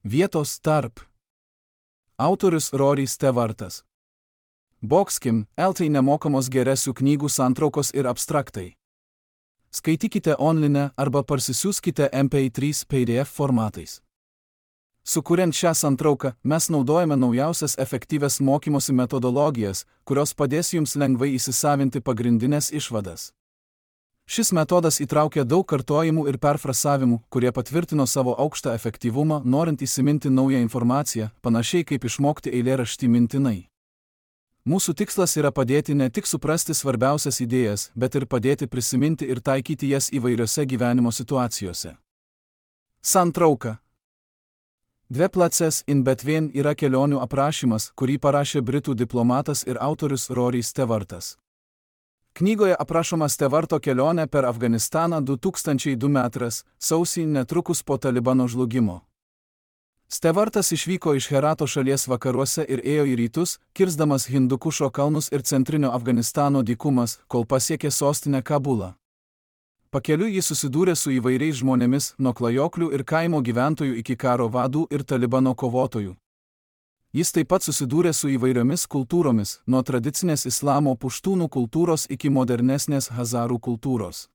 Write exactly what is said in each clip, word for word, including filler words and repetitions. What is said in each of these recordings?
Vietos tarp. Autorius Rory Stewartas. Boxkim, eltai nemokamos geresių knygų santraukos ir abstraktai. Skaitykite online arba parsisiųskite M P trys P D F formatais. Sukuriant šią santrauką, mes naudojame naujausias efektyvias mokymosi metodologijas, kurios padės jums lengvai įsisavinti pagrindinės išvadas. Šis metodas įtraukia daug kartojimų ir perfrasavimų, kurie patvirtino savo aukštą efektyvumą, norint įsiminti naują informaciją, panašiai kaip išmokti eilėraštį mintinai. Mūsų tikslas yra padėti ne tik suprasti svarbiausias idėjas, bet ir padėti prisiminti ir taikyti jas įvairiose gyvenimo situacijose. Santrauka. Dve places in between yra kelionių aprašymas, kurį parašė britų diplomatas ir autorius Rory Stewartas. Knygoje aprašoma Stewarto kelionė per Afganistaną du tūkstančiai du metais, sausį netrukus po Talibano žlugimo. Stewartas išvyko iš Herato šalies vakaruose ir ėjo į rytus, kirsdamas Hindukušo kalnus ir centrinio Afganistano dykumas, kol pasiekė sostinę Kabulą. Pakeliui jis susidūrė su įvairiais žmonėmis, nuo klajoklių ir kaimo gyventojų iki karo vadų ir Talibano kovotojų. Jis taip pat susidūrė su įvairiomis kultūromis, nuo tradicinės islamo puštūnų kultūros iki modernesnės hazarų kultūros.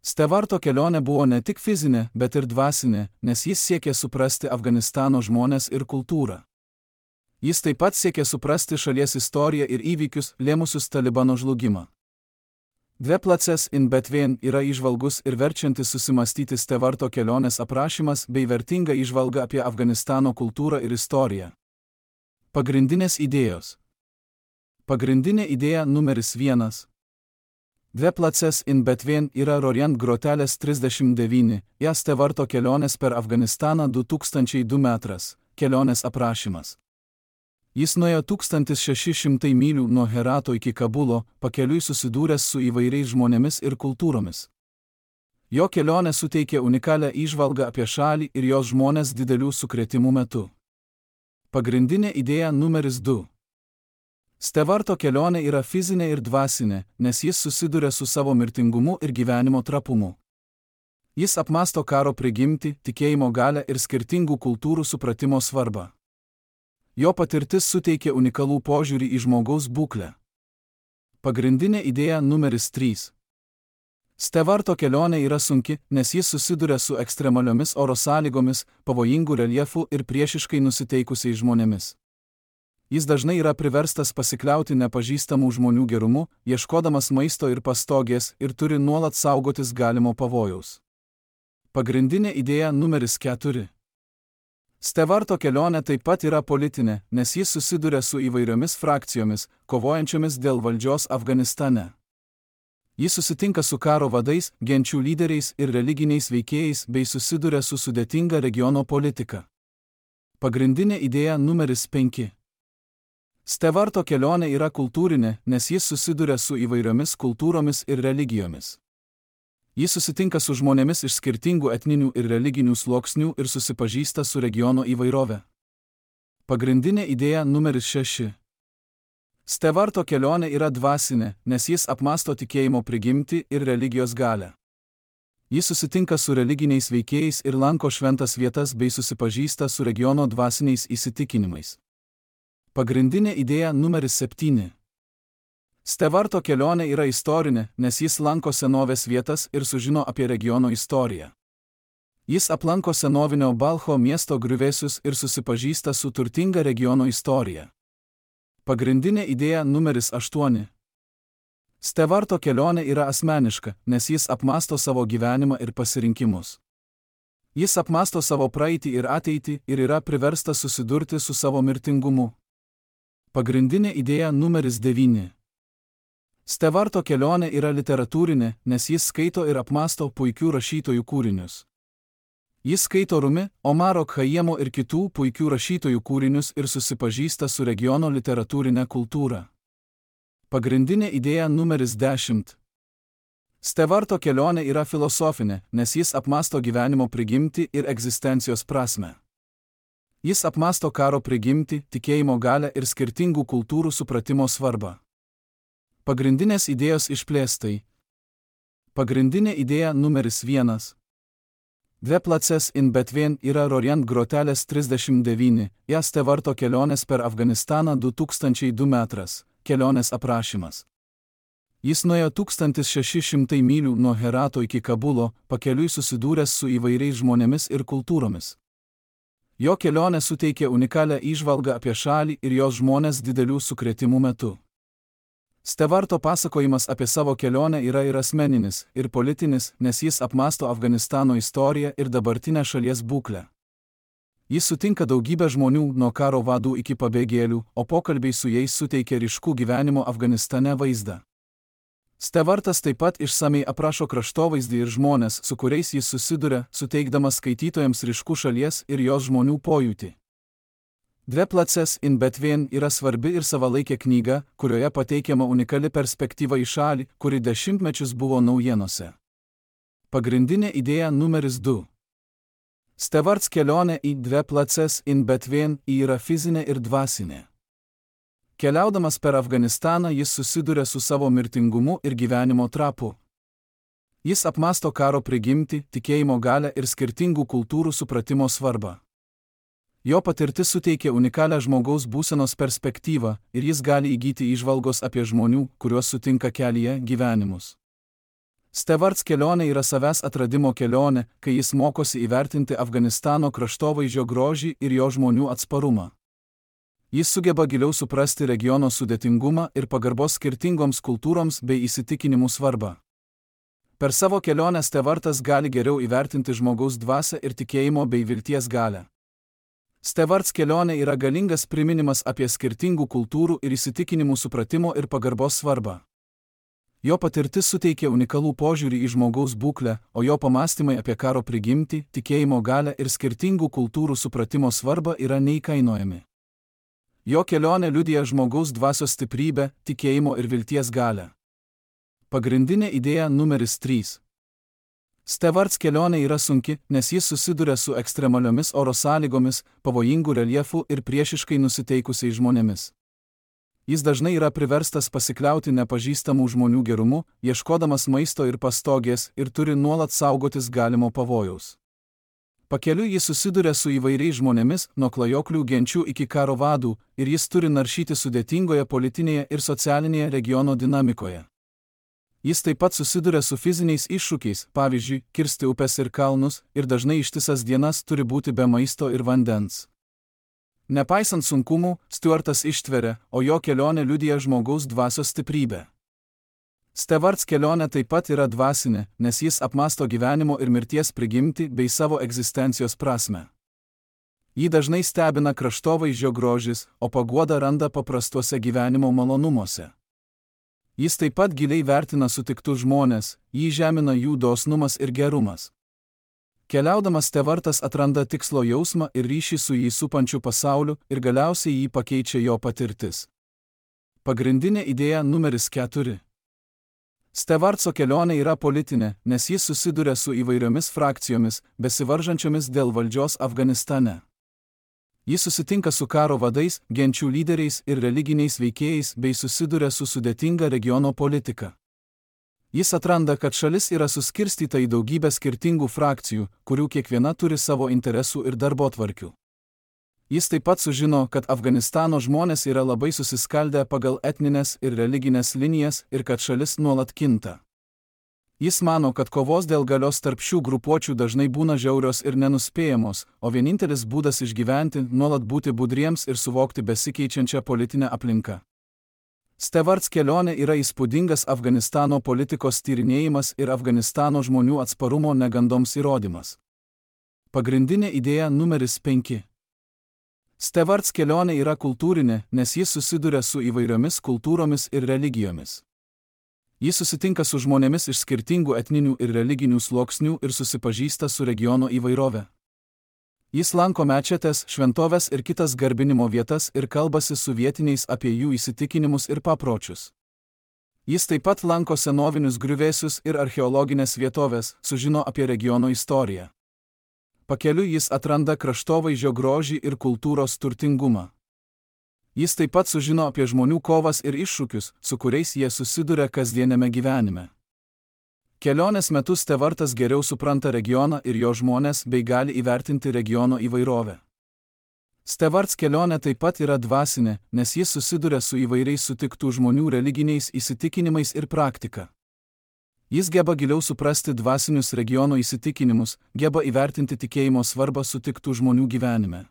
Stewarto kelionė buvo ne tik fizinė, bet ir dvasinė, nes jis siekė suprasti Afganistano žmones ir kultūrą. Jis taip pat siekė suprasti šalies istoriją ir įvykius, lėmusius Talibano žlugimą. Dve places in between yra įžvalgus ir verčiantis susimastyti Stewarto kelionės aprašymas bei vertinga įžvalga apie Afganistano kultūrą ir istoriją. Pagrindinės idėjos. Pagrindinė idėja numeris vienas. Dve places in between yra Roriant grotelės trisdešimt devyni, ją Stewarto kelionės per Afganistaną du tūkstančiai du metais, kelionės aprašymas. Jis nuėjo tūkstantis šeši šimtai mylių nuo Herato iki Kabulo, pakeliui susidūręs su įvairiais žmonėmis ir kultūromis. Jo kelionė suteikė unikalią įžvalgą apie šalį ir jos žmones didelių sukrėtimų metu. Pagrindinė idėja numeris du. Stewarto kelionė yra fizinė ir dvasinė, nes jis susiduria su savo mirtingumu ir gyvenimo trapumu. Jis apmąsto karo prigimtį, tikėjimo galią ir skirtingų kultūrų supratimo svarbą. Jo patirtis suteikia unikalų požiūrį į žmogaus būklę. Pagrindinė idėja numeris trys. Stewarto kelionė yra sunki, nes jis susiduria su ekstremaliomis oro sąlygomis, pavojingų reljefų ir priešiškai nusiteikusiais žmonėmis. Jis dažnai yra priverstas pasikliauti nepažįstamų žmonių gerumu, ieškodamas maisto ir pastogės ir turi nuolat saugotis galimo pavojaus. Pagrindinė idėja numeris keturi. Stewarto kelionė taip pat yra politinė, nes jis susiduria su įvairiomis frakcijomis, kovojančiomis dėl valdžios Afganistane. Jis susitinka su karo vadais, genčių lyderiais ir religiniais veikėjais bei susiduria su sudėtinga regiono politika. Pagrindinė idėja numeris penki. Stewarto kelionė yra kultūrinė, nes jis susiduria su įvairiomis kultūromis ir religijomis. Jis susitinka su žmonėmis iš skirtingų etninių ir religinių sluoksnių ir susipažįsta su regiono įvairove. Pagrindinė idėja numeris šeši. Stewarto kelionė yra dvasinė, nes jis apmąsto tikėjimo prigimtį ir religijos galią. Jis susitinka su religiniais veikėjais ir lanko šventas vietas bei susipažįsta su regiono dvasiniais įsitikinimais. Pagrindinė idėja numeris septyni. Stewarto kelionė yra istorinė, nes jis lanko senovės vietas ir sužino apie regiono istoriją. Jis aplanko senovinio Balcho miesto griuvėsius ir susipažįsta su turtinga regiono istorija. Pagrindinė idėja numeris aštuoni. Stewarto kelionė yra asmeniška, nes jis apmąsto savo gyvenimą ir pasirinkimus. Jis apmąsto savo praeitį ir ateitį ir yra priverstas susidurti su savo mirtingumu. Pagrindinė idėja numeris devyni. Stewarto kelionė yra literatūrinė, nes jis skaito ir apmąsto puikių rašytojų kūrinius. Jis skaito Rumi, Omaro Khayyamo ir kitų puikių rašytojų kūrinius ir susipažįsta su regiono literatūrinė kultūra. Pagrindinė idėja numeris dešimt. Stewarto kelionė yra filosofinė, nes jis apmąsto gyvenimo prigimtį ir egzistencijos prasmę. Jis apmąsto karo prigimtį, tikėjimo galią ir skirtingų kultūrų supratimo svarbą. Pagrindinės idėjos išplėstai. Pagrindinė idėja numeris vienas. Dve places in Betvien yra Rorient grotelės trisdešimt devyni, jas Stevarto kelionės per Afganistaną du tūkstančiai du metras, kelionės aprašymas. Jis nuėjo tūkstantis šeši šimtai mylių nuo Herato iki Kabulo, pakeliui susidūręs su įvairiais žmonėmis ir kultūromis. Jo kelionė suteikė unikalią įžvalgą apie šalį ir jos žmonės didelių sukrėtimų metu. Stevarto pasakojimas apie savo kelionę yra ir asmeninis, ir politinis, nes jis apmąsto Afganistano istoriją ir dabartinę šalies būklę. Jis sutinka daugybę žmonių nuo karo vadų iki pabėgėlių, o pokalbiai su jais suteikia ryškų gyvenimo Afganistane vaizdą. Stevartas taip pat išsamiai aprašo kraštovaizdį ir žmonės, su kuriais jis susiduria, suteikdamas skaitytojams ryškų šalies ir jos žmonių pojūtį. Dve places in Betvien yra svarbi ir savalaikė knyga, kurioje pateikiama unikali perspektyva į šalį, kuri dešimtmečius buvo naujienose. Pagrindinė idėja numeris du. Stevarts kelionė į Dve places in Betvien yra fizinė ir dvasinė. Keliaudamas per Afganistaną jis susiduria su savo mirtingumu ir gyvenimo trapu. Jis apmąsto karo prigimtį, tikėjimo galią ir skirtingų kultūrų supratimo svarbą. Jo patirtis suteikia unikalią žmogaus būsenos perspektyvą ir jis gali įgyti įžvalgos apie žmonių, kuriuos sutinka kelyje, gyvenimus. Stevarts kelionė yra savęs atradimo kelionė, kai jis mokosi įvertinti Afganistano kraštovaizdžio grožį ir jo žmonių atsparumą. Jis sugeba giliau suprasti regiono sudėtingumą ir pagarbos skirtingoms kultūroms bei įsitikinimų svarbą. Per savo kelionę Stevartas gali geriau įvertinti žmogaus dvasią ir tikėjimo bei vilties galią. Stevarts kelionė yra galingas priminimas apie skirtingų kultūrų ir įsitikinimų supratimo ir pagarbos svarbą. Jo patirtis suteikia unikalų požiūrį į žmogaus būklę, o jo pamąstymai apie karo prigimtį, tikėjimo galią ir skirtingų kultūrų supratimo svarbą yra neįkainojami. Jo kelionė liudija žmogaus dvasios stiprybę, tikėjimo ir vilties galią. Pagrindinė idėja numeris trys. Stevarts kelionė yra sunki, nes jis susiduria su ekstremaliomis oro sąlygomis, pavojingų reljefų ir priešiškai nusiteikusiais žmonėmis. Jis dažnai yra priverstas pasikliauti nepažįstamų žmonių gerumu, ieškodamas maisto ir pastogės ir turi nuolat saugotis galimo pavojaus. Pakeliui jis susiduria su įvairiais žmonėmis, nuo klajoklių genčių iki karo vadų, ir jis turi naršyti sudėtingoje politinėje ir socialinėje regiono dinamikoje. Jis taip pat susiduria su fiziniais iššūkiais, pavyzdžiui, kirsti upes ir kalnus, ir dažnai ištisas dienas turi būti be maisto ir vandens. Nepaisant sunkumų, Stevartas ištveria, o jo kelionė liudija žmogaus dvasios stiprybę. Stevarts kelionė taip pat yra dvasinė, nes jis apmąsto gyvenimo ir mirties prigimtį bei savo egzistencijos prasmę. Jį dažnai stebina kraštovaizdžio grožis, o paguodą randa paprastuose gyvenimo malonumuose. Jis taip pat giliai vertina sutiktus žmonės, jį žemina jų dosnumas ir gerumas. Keliaudamas Stevartas atranda tikslo jausmą ir ryšį su jį supančiu pasauliu ir galiausiai jį pakeičia jo patirtis. Pagrindinė idėja numeris keturi. Stevartso kelionė yra politinė, nes jis susiduria su įvairiomis frakcijomis, besivaržančiomis dėl valdžios Afganistane. Jis susitinka su karo vadais, genčių lyderiais ir religiniais veikėjais bei susiduria su sudėtinga regiono politika. Jis atranda, kad šalis yra suskirstyta į daugybę skirtingų frakcijų, kurių kiekviena turi savo interesų ir darbotvarkių. Jis taip pat sužino, kad Afganistano žmonės yra labai susiskaldę pagal etninės ir religinės linijas ir kad šalis nuolat kinta. Jis mano, kad kovos dėl galios tarp šių grupuočių dažnai būna žiaurios ir nenuspėjamos, o vienintelis būdas išgyventi – nuolat būti budriems ir suvokti besikeičiančią politinę aplinką. Stevarts kelionė yra įspūdingas Afganistano politikos tyrinėjimas ir Afganistano žmonių atsparumo negandoms įrodymas. Pagrindinė idėja numeris penki. Stevarts kelionė yra kultūrinė, nes jis susiduria su įvairiomis kultūromis ir religijomis. Jis susitinka su žmonėmis iš skirtingų etninių ir religinių sluoksnių ir susipažįsta su regiono įvairove. Jis lanko mečetes, šventoves ir kitas garbinimo vietas ir kalbasi su vietiniais apie jų įsitikinimus ir papročius. Jis taip pat lanko senovinius griuvėsius ir archeologinės vietovės, sužino apie regiono istoriją. Pakeliui jis atranda kraštovaizdžio grožį ir kultūros turtingumą. Jis taip pat sužino apie žmonių kovas ir iššūkius, su kuriais jie susiduria kasdienėme gyvenime. Kelionės metu Stevartas geriau supranta regioną ir jo žmonės bei gali įvertinti regiono įvairovę. Stevarts kelionė taip pat yra dvasinė, nes jis susiduria su įvairiais sutiktų žmonių religiniais įsitikinimais ir praktika. Jis geba giliau suprasti dvasinius regiono įsitikinimus, geba įvertinti tikėjimo svarbą sutiktų žmonių gyvenime.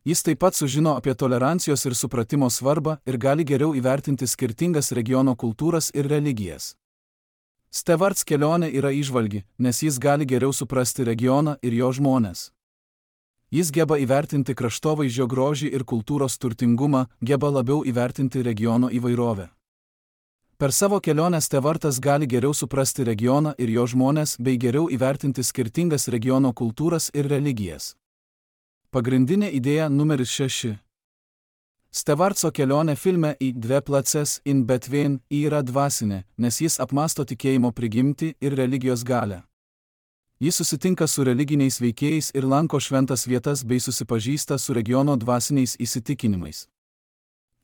Jis taip pat sužino apie tolerancijos ir supratimo svarbą ir gali geriau įvertinti skirtingas regiono kultūras ir religijas. Stevarts kelionė yra įžvalgi, nes jis gali geriau suprasti regioną ir jo žmones. Jis geba įvertinti kraštovaizdžio grožį ir kultūros turtingumą, geba labiau įvertinti regiono įvairovę. Per savo kelionę Stevartas gali geriau suprasti regioną ir jo žmones bei geriau įvertinti skirtingas regiono kultūras ir religijas. Pagrindinė idėja numeris šeši. Stevartso kelionė filme į Dve places in Betvein yra dvasinė, nes jis apmąsto tikėjimo prigimtį ir religijos galią. Jis susitinka su religiniais veikėjais ir lanko šventas vietas bei susipažįsta su regiono dvasiniais įsitikinimais.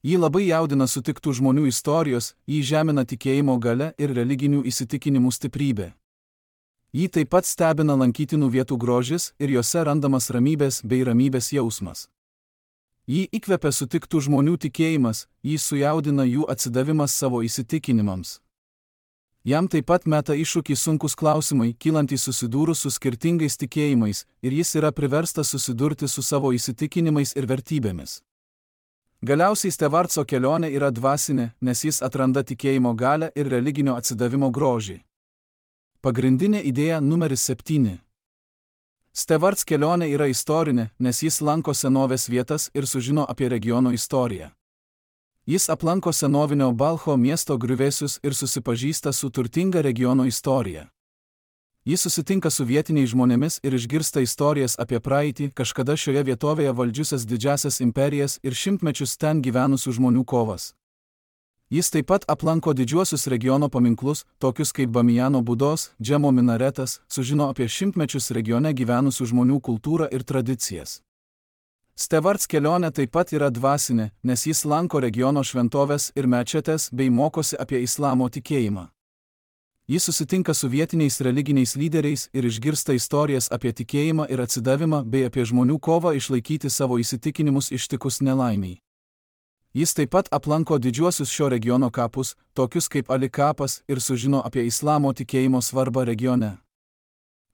Jį labai jaudina sutiktų žmonių istorijos, jį žemina tikėjimo galia ir religinių įsitikinimų stiprybė. Jį taip pat stebina lankytinų vietų grožis ir jose randamas ramybės bei ramybės jausmas. Jį įkvepia sutiktų žmonių tikėjimas, jį sujaudina jų atsidavimas savo įsitikinimams. Jam taip pat meta iššūkį sunkus klausimai, kylantys susidūrus su skirtingais tikėjimais, ir jis yra priverstas susidurti su savo įsitikinimais ir vertybėmis. Galiausiai Stevartso kelionė yra dvasinė, nes jis atranda tikėjimo galią ir religinio atsidavimo grožį. Pagrindinė idėja numeris septyni. Stevarts kelionė yra istorinė, nes jis lanko senovės vietas ir sužino apie regiono istoriją. Jis aplanko senovinio Balcho miesto griuvėsius ir susipažįsta su turtinga regiono istorija. Jis susitinka su vietiniais žmonėmis ir išgirsta istorijas apie praeitį, kažkada šioje vietovėje valdžiusias didžiasias imperijas ir šimtmečius ten gyvenusių žmonių kovas. Jis taip pat aplanko didžiuosius regiono paminklus, tokius kaip Bamijano Budos, Džemo minaretas, sužino apie šimtmečius regione gyvenusių žmonių kultūrą ir tradicijas. Stevarts kelionė taip pat yra dvasinė, nes jis lanko regiono šventoves ir mečetes bei mokosi apie islamo tikėjimą. Jis susitinka su vietiniais religiniais lyderiais ir išgirsta istorijas apie tikėjimą ir atsidavimą bei apie žmonių kovą išlaikyti savo įsitikinimus ištikus nelaimiai. Jis taip pat aplanko didžiuosius šio regiono kapus, tokius kaip Ali kapas, ir sužino apie islamo tikėjimo svarbą regione.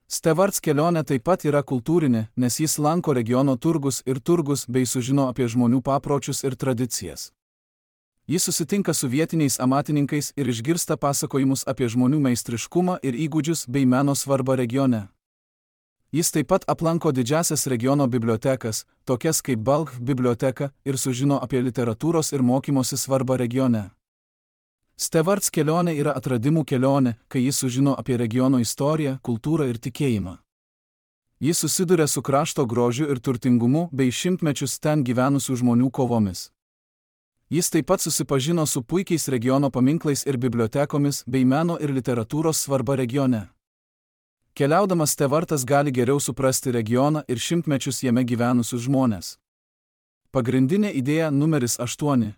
Stevarts kelionė taip pat yra kultūrinė, nes jis lanko regiono turgus ir turgus bei sužino apie žmonių papročius ir tradicijas. Jis susitinka su vietiniais amatininkais ir išgirsta pasakojimus apie žmonių meistriškumą ir įgūdžius bei meno svarbą regione. Jis taip pat aplanko didžiasias regiono bibliotekas, tokias kaip Balch biblioteka, ir sužino apie literatūros ir mokymosi svarbą regione. Stevarts kelionė yra atradimų kelionė, kai jis sužino apie regiono istoriją, kultūrą ir tikėjimą. Jis susiduria su krašto grožiu ir turtingumu bei šimtmečius ten gyvenusių žmonių kovomis. Jis taip pat susipažino su puikiais regiono paminklais ir bibliotekomis bei meno ir literatūros svarba regione. Keliaudamas Stevartas gali geriau suprasti regioną ir šimtmečius jame gyvenusius žmones. Pagrindinė idėja numeris aštuoni.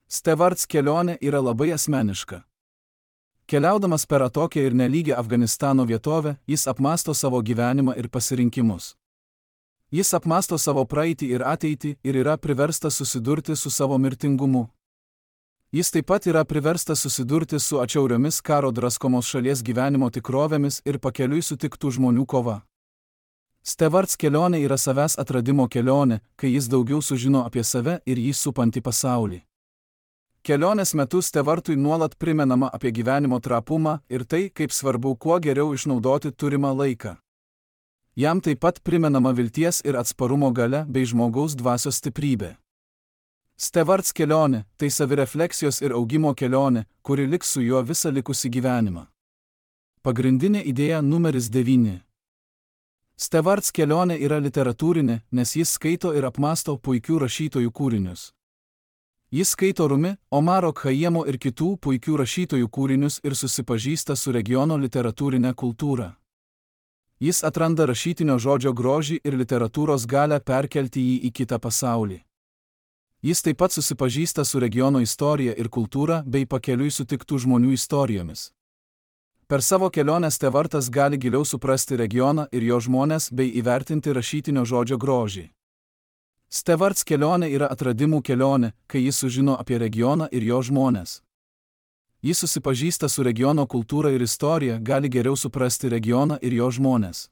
Stevarts kelionė yra labai asmeniška. Keliaudamas per atokią ir nelygę Afganistano vietovę, jis apmąsto savo gyvenimą ir pasirinkimus. Jis apmąsto savo praeitį ir ateitį ir yra priverstas susidurti su savo mirtingumu. Jis taip pat yra priverstas susidurti su atšiauriomis karo draskomos šalies gyvenimo tikrovėmis ir pakeliui sutiktų žmonių kova. Stevarts kelionė yra savęs atradimo kelionė, kai jis daugiau sužino apie save ir jį supantį pasaulį. Kelionės metu Stevartui nuolat primenama apie gyvenimo trapumą ir tai, kaip svarbu kuo geriau išnaudoti turimą laiką. Jam taip pat primenama vilties ir atsparumo galia bei žmogaus dvasios stiprybė. Stevarts kelionė – tai savirefleksijos ir augimo kelionė, kuri liks su juo visą likusį gyvenimą. Pagrindinė idėja numeris devyni. Stevarts kelionė yra literatūrinė, nes jis skaito ir apmąsto puikių rašytojų kūrinius. Jis skaito Rumi, Omaro Khayyamo ir kitų puikių rašytojų kūrinius ir susipažįsta su regiono literatūrinė kultūra. Jis atranda rašytinio žodžio grožį ir literatūros galią perkelti jį į kitą pasaulį. Jis taip pat susipažįsta su regiono istorija ir kultūra bei pakeliui sutiktų žmonių istorijomis. Per savo kelionę Stevartas gali giliau suprasti regioną ir jo žmones bei įvertinti rašytinio žodžio grožį. Stevarts kelionė yra atradimų kelionė, kai jis sužino apie regioną ir jo žmones. Jis susipažįsta su regiono kultūra ir istorija, gali geriau suprasti regioną ir jo žmones.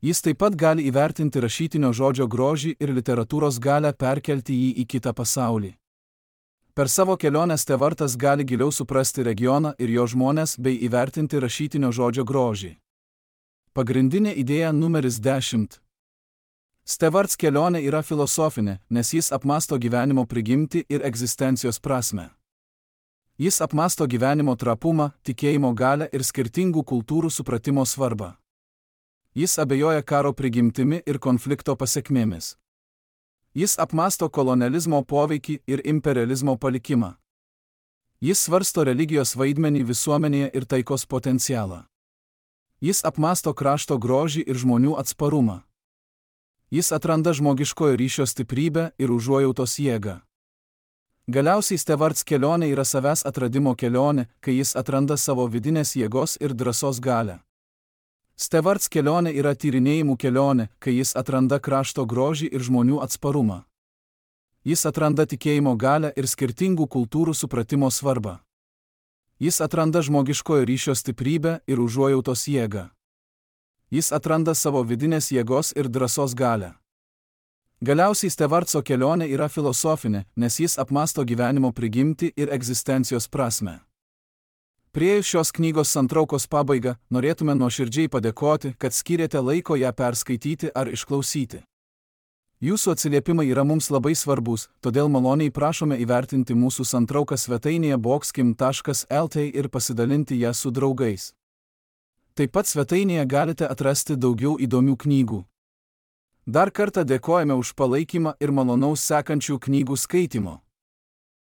Jis taip pat gali įvertinti rašytinio žodžio grožį ir literatūros galę perkelti jį į kitą pasaulį. Per savo kelionę Stevartas gali giliau suprasti regioną ir jo žmones bei įvertinti rašytinio žodžio grožį. Pagrindinė idėja numeris dešimt. Stevarts kelionė yra filosofinė, nes jis apmąsto gyvenimo prigimtį ir egzistencijos prasmę. Jis apmąsto gyvenimo trapumą, tikėjimo galią ir skirtingų kultūrų supratimo svarbą. Jis abejoja karo prigimtimi ir konflikto pasekmėmis. Jis apmąsto kolonializmo poveikį ir imperializmo palikimą. Jis svarsto religijos vaidmenį visuomenėje ir taikos potencialą. Jis apmąsto krašto grožį ir žmonių atsparumą. Jis atranda žmogiškojo ryšio stiprybę ir užuojautos jėgą. Galiausiai Stevarts kelionė yra savęs atradimo kelionė, kai jis atranda savo vidinės jėgos ir drąsos galią. Stevarts kelionė yra tyrinėjimų kelionė, kai jis atranda krašto grožį ir žmonių atsparumą. Jis atranda tikėjimo galią ir skirtingų kultūrų supratimo svarbą. Jis atranda žmogiškojo ryšio stiprybę ir užuojautos jėgą. Jis atranda savo vidinės jėgos ir drąsos galią. Galiausiai Stevartso kelionė yra filosofinė, nes jis apmąsto gyvenimo prigimtį ir egzistencijos prasmę. Priėjus šios knygos santraukos pabaigą, norėtume nuoširdžiai padėkoti, kad skyrėte laiko ją perskaityti ar išklausyti. Jūsų atsiliepimai yra mums labai svarbus, todėl maloniai prašome įvertinti mūsų santrauką svetainėje boxkim taškas lt ir pasidalinti ją su draugais. Taip pat svetainėje galite atrasti daugiau įdomių knygų. Dar kartą dėkojame už palaikymą ir malonaus sekančių knygų skaitimo.